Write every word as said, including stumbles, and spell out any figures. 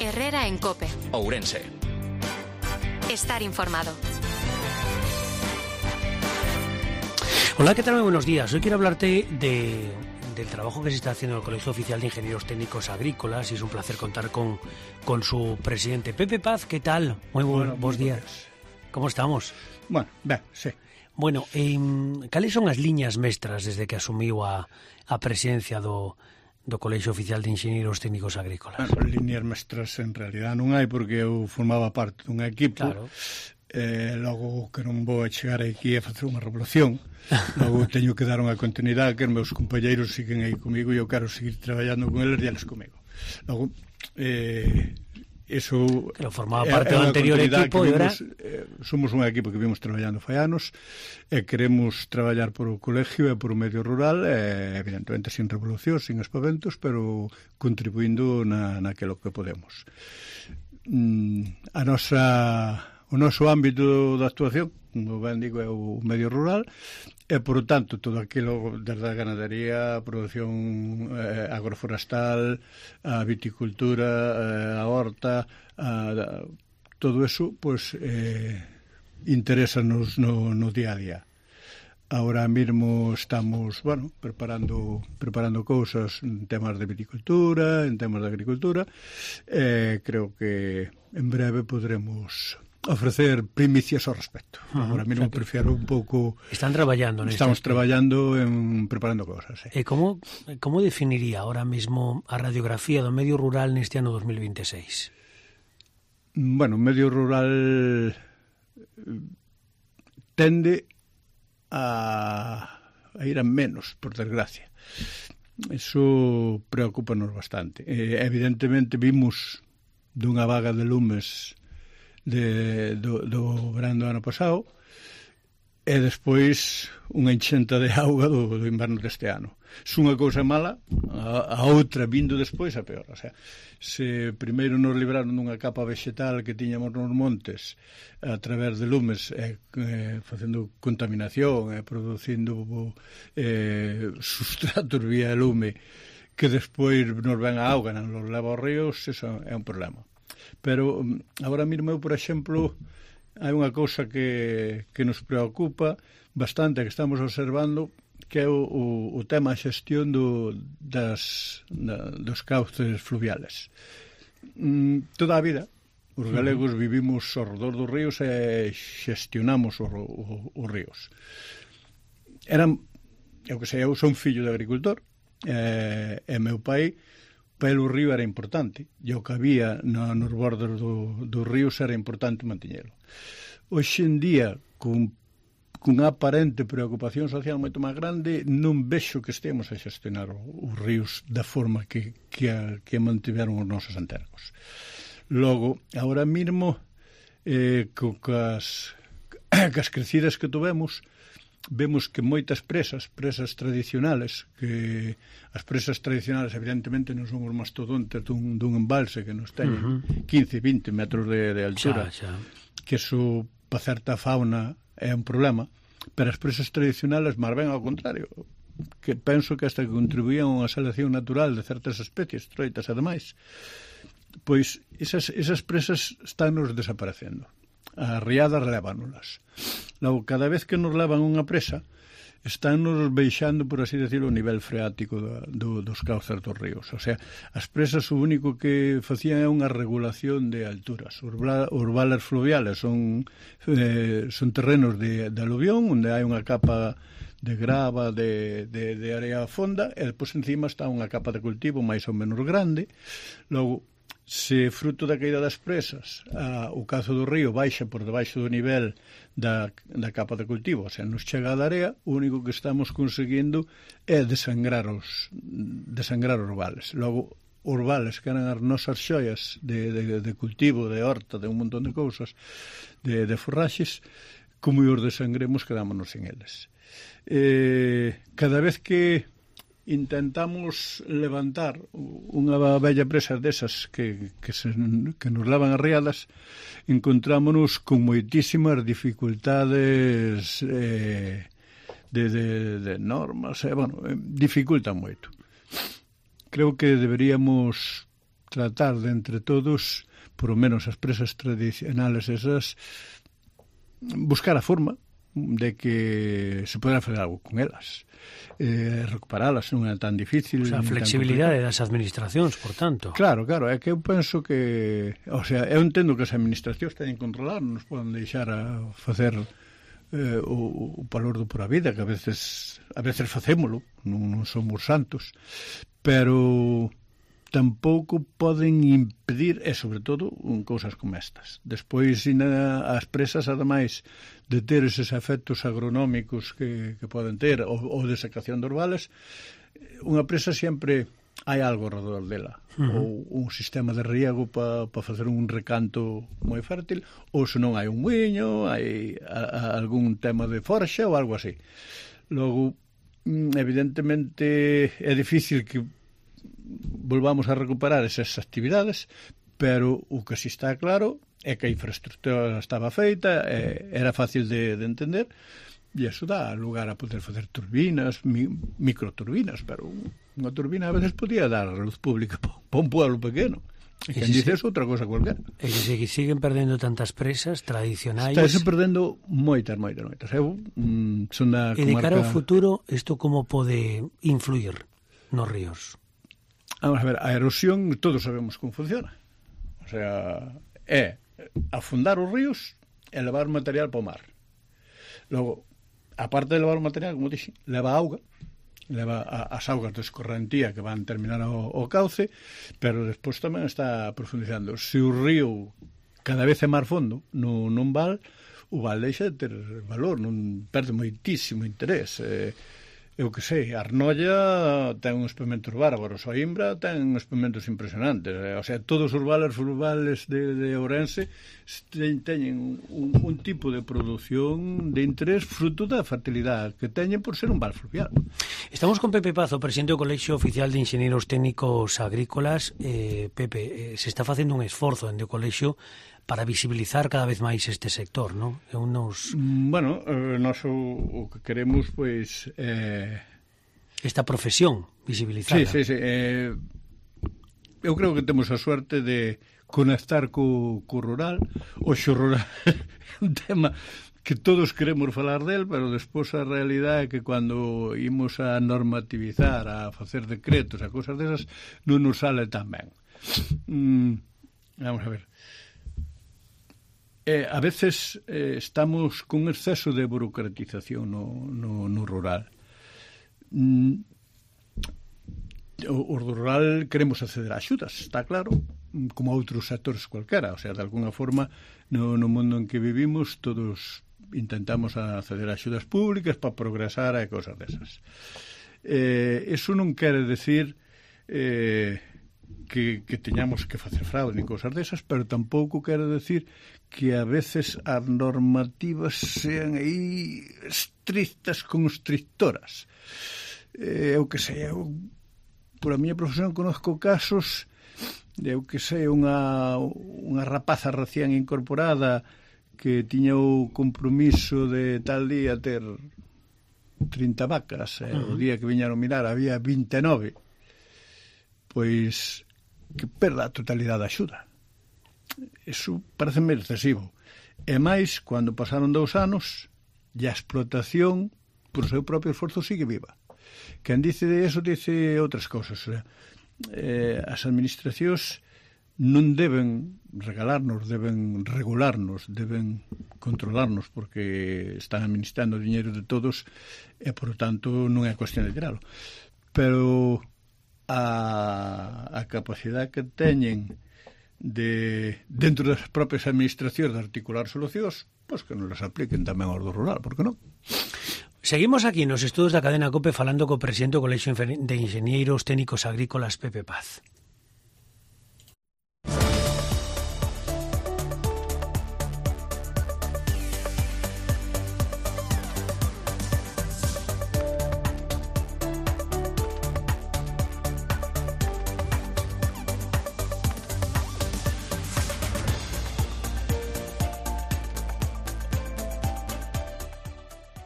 Herrera en COPE. Ourense. Estar informado. Hola, ¿qué tal? Muy buenos días. Hoy quiero hablarte de, del trabajo que se está haciendo en el Colegio Oficial de Ingenieros Técnicos Agrícolas y es un placer contar con, con su presidente. Pepe Paz, ¿qué tal? Muy bueno, buenos días. ¿Cómo estamos? Bueno, ben, sí. Bueno, eh, cales son as liñas mestras desde que asumiu a, a presidencia do, do Colexio Oficial de Inxenieros Técnicos Agrícolas? Bueno, liñas mestras en realidad non hai, porque eu formaba parte dun equipo. Claro. Eh, logo que non vou a chegar aquí a facer unha revolución, logo teño que dar unha continuidade, que os meus compañeiros siguen aí comigo e eu quero seguir traballando con eles e eles comigo. Logo, eh, eso que lo formaba parte do anterior equipo e ahora eh, somos un equipo que vimos traballando fai anos e queremos traballar por o colegio e por o medio rural, e, evidentemente sin revolución, sin espaventos, pero contribuindo na, naquilo que podemos. Mm, a nosa o noso ámbito de actuación, como ben digo, é o medio rural e, por tanto, todo aquilo desde a ganadería, a produción eh, agroforestal, a viticultura, eh, a horta, a, a, todo eso, pues, eh, interesa-nos no, no día a día. Ahora mesmo estamos, bueno, preparando preparando cousas en temas de viticultura, en temas de agricultura, e eh, creo que en breve podremos ofrecer primicias ao respecto. Uh-huh. Agora mesmo prefiero un pouco... Están traballando neste. Estamos traballando en preparando cosas. Sí. E como, como definiría ahora mesmo a radiografía do medio rural neste ano dos mil veintiséis? Bueno, o medio rural tende a, a ir a menos, por desgracia. Eso preocúpanos bastante. Eh, evidentemente vimos dunha vaga de lumes de, do, do verán do ano pasado e despois unha enchenta de auga do, do inverno deste ano. Se unha cousa mala, a, a outra vindo despois a peor. O sea, se primeiro nos libraron dunha capa vegetal que tiñamos nos montes a través de lumes, eh, eh, facendo contaminación, eh, producindo eh, sustratos vía lume, que despois nos ven a auga, nos leva aos ríos, eso é un problema. Pero agora mesmo eu, por exemplo, hai unha cousa que, que nos preocupa bastante, que estamos observando, que é o, o, o tema xestión do, das, da, dos cauces fluviales. Mm, toda a vida os galegos vivimos ao redor dos ríos e xestionamos os, os, os ríos. Eran, eu que sei, eu son fillo de agricultor, e, e meu pai, pelo río era importante, e o que había no, nos bordos do, dos ríos era importante manteñelo. Hoxe en día, con, con aparente preocupación social moito máis grande, non vexo que estemos a xestionar os ríos da forma que, que, a, que mantiveron os nosos antergos. Logo, agora mesmo, eh, co, cas, cas crecidas que tuvemos, vemos que moitas presas, presas tradicionales, que as presas tradicionales evidentemente non son os mastodontes dun, dun embalse que nos teñen uh-huh. quince, vinte metros de, de altura, xa, xa. Que eso para certa fauna é un problema, pero as presas tradicionales máis ben ao contrario, que penso que hasta que contribuían a unha selección natural de certas especies, troitas e demais, pois esas, esas presas están nos desaparecendo. As riadas levánolas. Logo, cada vez que nos levan unha presa, están nos baixando, por así decirlo, o nivel freático do, do, dos cauces dos ríos. O sea, as presas o único que facían é unha regulación de alturas. Os, os vales fluviales son, eh, son terrenos de, de aluvión, onde hai unha capa de grava, de, de, de area fonda, e depois encima está unha capa de cultivo máis ou menos grande. Logo, se fruto da caída das presas a, o cazo do río baixa por debaixo do nivel da, da capa de cultivo, o sea, nos chega a da area, o único que estamos conseguindo é desangrar os, desangrar os vales. Logo, os vales que eran as nosas xoias de, de, de cultivo, de horta, de un montón de cousas, de, de forraxes, como os desangremos, quedámonos sin eles. Eh, cada vez que intentamos levantar unha bella presa desas que, que, se, que nos levan as riadas, encontrámonos con moitísimas dificultades eh, de, de, de normas, eh, bueno, eh, dificultan moito. Creo que deberíamos tratar de entre todos, por lo menos as presas tradicionales esas, buscar a forma de que se poderá fazer algo con elas. Eh, recuperalas non é tan difícil. O sea, a flexibilidade das administracións, por tanto. Claro, claro, é que eu penso que, o sea, eu entendo que as administracións teñen que controlar, non nos poden deixar a facer eh, o, o valor do pura vida, que a veces a veces facémolo, non, non somos santos, pero tampouco poden impedir, e sobre todo, un cousas como estas. Despois, as presas, ademais de ter eses efectos agronómicos que, que poden ter, ou, ou de secación dos vales, unha presa sempre hai algo alrededor dela. Uh-huh. Ou un sistema de riego para pa facer un recanto moi fértil, ou se non hai un muiño, hai a, a, algún tema de forxa ou algo así. Logo, evidentemente, é difícil que volvamos a recuperar esas actividades, pero o que si está claro é que a infraestructura estaba feita, é, era fácil de, de entender, e eso dá lugar a poder facer turbinas, mi, microturbinas, pero unha turbina a veces podía dar a luz pública para un pueblo pequeno. E quen dice eso, outra cosa cualquiera. E que se siguen perdendo tantas presas tradicionais. Estáse perdendo moitas, moitas, moitas. Eu mm, son da comarca... E de cara ao futuro, isto como pode influir nos ríos? Vamos a ver, a erosión todos sabemos como funciona. O sea, é afundar os ríos e levar material para o mar. Logo, aparte de levar o material, como dixen, leva auga, leva a, as augas de escorrentía que van terminar o, o cauce, pero despois tamén está profundizando. Se o río cada vez é mar fondo no, non val, o val deixa de ter valor, non perde moitísimo interés. Eh, eu que sei, Arnolla ten uns experimentos bárbaros, o Imbra ten uns experimentos impresionantes, eh, o sea, todos os vales rurales de, de Ourense teñen un, un tipo de produción de interés fruto da fertilidade que teñen por ser un val fluvial. Estamos con Pepe Paz, o presidente do Colexio Oficial de Enxeñeiros Técnicos Agrícolas. eh, Pepe, eh, se está facendo un esforzo dende o Colexio para visibilizar cada vez máis este sector, non? É unos... Bueno, eh, nós o, o que queremos, pois... Eh... Esta profesión visibilizada. Sí, sí, sí. Eh, eu creo que temos a suerte de conectar co, co rural. O xo rural é un tema que todos queremos falar del, pero despois a realidade é que cando imos a normativizar, a facer decretos, a cousas desas, non nos sale tan ben. Mm, vamos a ver. Eh, a veces eh, estamos con exceso de burocratización no, no, no rural. Mm, o, o rural queremos acceder a axudas, está claro, como a outros sectores cualquera, o sea, de alguna forma no, no mundo en que vivimos todos intentamos acceder a axudas públicas para progresar e cosas desas. Eh, eso non quere decir eh, que, que teñamos que facer fraude ni cosas desas, pero tampouco quere decir que a veces as normativas sean aí estrictas constrictoras. Eh, eu que sei, eu, por a miña profesión conozco casos de, eu que sei, unha, unha rapaza recién incorporada que tiña o compromiso de tal día ter trinta vacas, e uh-huh. o día que viñaron mirar había vinte e nove, pois que perda a totalidade da axuda. Eso pareceme excesivo. E máis, cando pasaron dous anos, e a explotación, por seu propio esforzo, sigue viva. Quen dice de eso, dice outras cousas. O sea, eh, as administracións non deben regalarnos, deben regularnos, deben controlarnos, porque están administrando o diñeiro de todos e, por tanto, non é cuestión de tiralo. Pero a, a capacidade que teñen de, dentro das propias administracións de articular solucións, pois que non las apliquen tamén ao do rural, por que non? Seguimos aquí nos estudos da cadena COPE falando co presidente do Colexio de Enxeñeiros Técnicos Agrícolas, Pepe Paz.